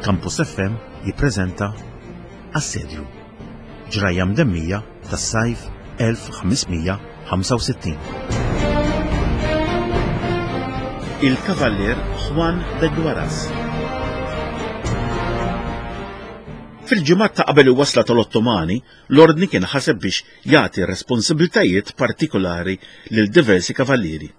Campus FM jippreżenta Assedju. Ġrajja mdemmija tas-sajf 1565. Il-Kavallier Juan de Guaras. Fil-ġimgħat ta' qabel il-wasla tal-Ottomani, l-Ordni kien ħaseb biex jagħti responsabbiltajiet partikolari lil diversi kavallieri.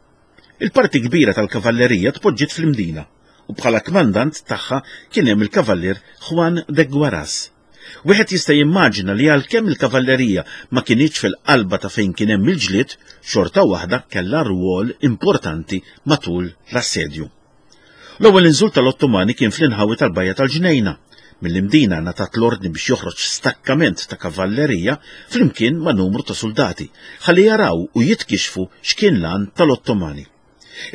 Il-parti kbira tal-kavallerija tpoġġiet fl-Imdina u bħala kmandant tagħha kien hemm il-Kavallier Juan de Guaras. Wieħed jista' jimmaġina li għalkemm il-kavallerija ma kinitx fil-qalba ta' fejn kien hemm il-ġlied, xorta waħda kellha rwol importanti matul l-assedju. L-ewwel inżul tal-Ottomani kien fl-inħawi tal-Bajja tal-Ġnejna. Mill-Imdina ngħatat l-ordni biex joħroġ stakkament ta' kavallerija flimkien ma' numru ta' suldati ħalli jaraw u jitkixxfu x'kien l-għan tal-Ottomani.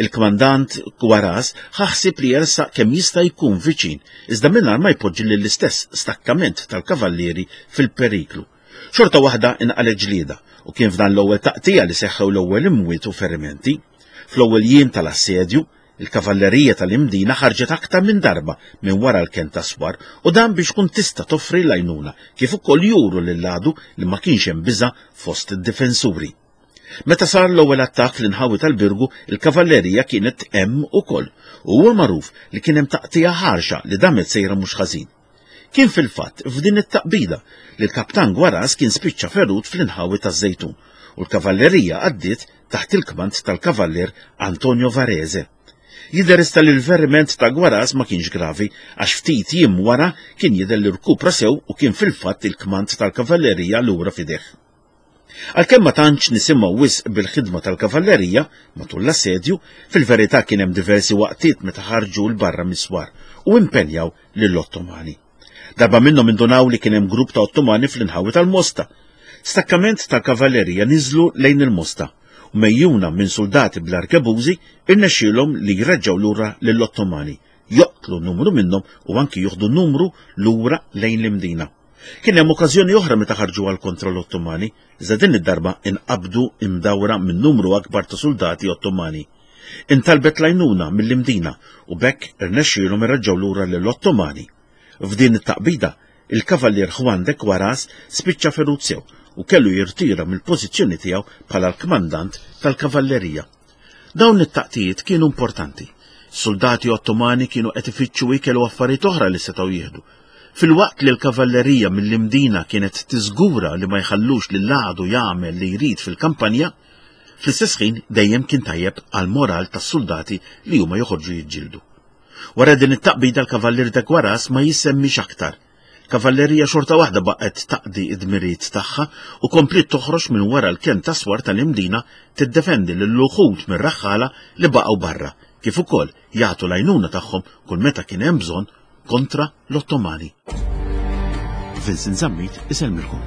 Il-kmandant Guaras ħa ħsieb li jersaq kemm jista' jkun viċin, iżda mingħajr ma jpoġġi lill-istess stakkament tal-kavallieri fil-periklu. Xorta waħda inqalgħet ġlieda u kien f'dan l-ewwel taqtigħa li seħħew l-ewwel imwiet u ferimenti. Fl-ewwel jiem tal-assedju, il-kavallerija tal-Imdina ħarġet aktar minn darba minn wara l-kenn tas-swar u dan biex tkun tista' toffri l-għajnuna kif ukoll juru lill-għadu li ma kienx hemm biża' fost id-difensuri. Meta sar l-ewwel attakk fl-inħawi tal-Birgu, il-kavallerija kienet hemm ukoll u huwa magħruf li kien hemm taqtigħa ħarxa li damet sejra mhux ħażin. Kien fil-fatt f'din it-taqbida li l-Kaptan Guaras kien spiċċa ferut fl-inħawi taż-Żejtun u l-kavallerija għaddiet taħt il-kmand tal-Kavallier Antonio Varese. Jidher iżda li l-veriment ta' Guaras ma kienx gravi għax ftit jiem wara kien jidher li rkupra sew u kien fil-fatt il-kmand tal-kavallerija lura f'idejh. Għalkemm ma tantx nisimgħu wisq bil-ħidma tal-kavallerija matul l-assedju, fil-verità kien hemm diversi waqtiet meta ħarġu 'l barra mis-swar u impenjaw lill-Ottomani. Darba minnhom indunaw li kien hemm grupp ta' Ottomani fl-inħawi tal-Mosta. Stakkament tal-kavallerija niżlu lejn il-Mosta u mejjuna minn suldati bl-arkebużi irnexxielhom li jreġġgħu lura lill-Ottomani, joqtlu numru minnhom u anki joħdu numru lura lejn l-Imdina. Kien hemm okkażjoni oħra meta ħarġu għal kontra l-Ottomani, iżda din id-darba inqabdu imdawra minn numru akbar ta' suldati Ottomani. Intalbet l-għajnuna mill-Imdina u b'hekk irnexxielhom ireġġgħu lura lill-Ottomani. F'din it-taqbida, il-Kavallier Juan de Quaras spiċċa ferut sew u kellu jirtira mill-pożizzjoni tiegħu bħala l-kmandant tal-kavallerija. Dawn it-taqtijiet kienu importanti. Suldati Ottomani kienu qed ifittxu ikel u affarijiet oħra li setgħu jieħdu. Filwaqt li l-kavallerija mill-Imdina kienet tiżgura li ma jħallux lill-għadu jagħmel li jrid fil-kampanja, fl-istess ħin dejjem kien tajjeb għall-moral tas-suldati li huma joħorġu jiġġieldu. Wara din it-taqbida l-Kavallier de Guaras ma jissemmix aktar. Kavallerija xorta waħda baqgħet taqdi id-dmirijiet tagħha u kompliet toħroġ minn wara l-kenn tas-swar tal-Imdina tiddefendi lil uħud mir-raħħala li baqgħu barra, kif ukoll jagħtu l-għajnuna tagħhom kull meta kien hemm bżonn kontra l-Ottomani. Vincent Zammit isellmilkom.